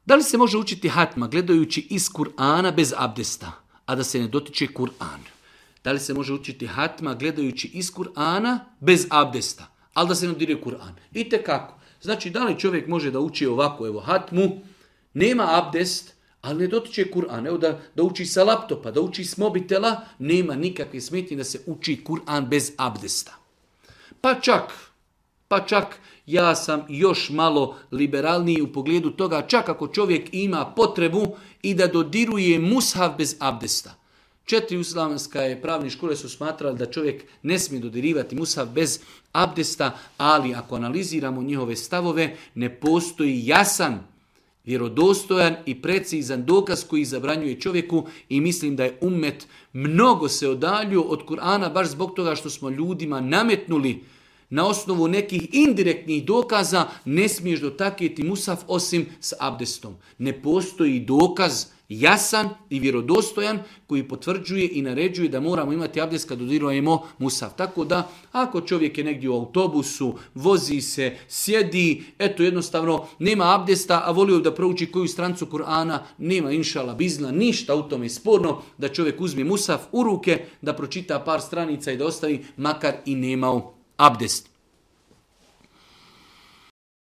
Da li se može učiti hatma gledajući iz Kur'ana bez abdesta, a da se ne dotiče Kur'an? Da li se može učiti hatma gledajući iz Kur'ana bez abdesta, ali da se ne dodiruje Kur'an? Itekako. Znači, da li čovjek može da uči ovako, evo, hatmu, nema abdest, ali ne dotiče Kur'an. Evo da uči sa laptopa, da uči s mobitela, nema nikakve smetnje da se uči Kur'an bez abdesta. Pa čak ja sam još malo liberalniji u pogledu toga, čak ako čovjek ima potrebu i da dodiruje mushaf bez abdesta. 4 islamske pravne škole su smatrali da čovjek ne smije dodirivati mushaf bez abdesta, ali ako analiziramo njihove stavove, ne postoji jasan, vjerodostojan i precizan dokaz koji zabranjuje čovjeku i mislim da je ummet mnogo se odaljio od Kur'ana baš zbog toga što smo ljudima nametnuli na osnovu nekih indirektnih dokaza ne smiješ dotaknuti mushaf osim s abdestom. Ne postoji dokaz jasan i vjerodostojan koji potvrđuje i naređuje da moramo imati abdest kad dodirujemo mushaf. Tako da ako čovjek je negdje u autobusu, vozi se, sjedi, eto jednostavno nema abdesta, a volio da prouči koju strancu Kur'ana, nema inšala bizna, ništa u tome sporno da čovjek uzme mushaf u ruke, da pročita par stranica i da ostavi makar i nemao abdest.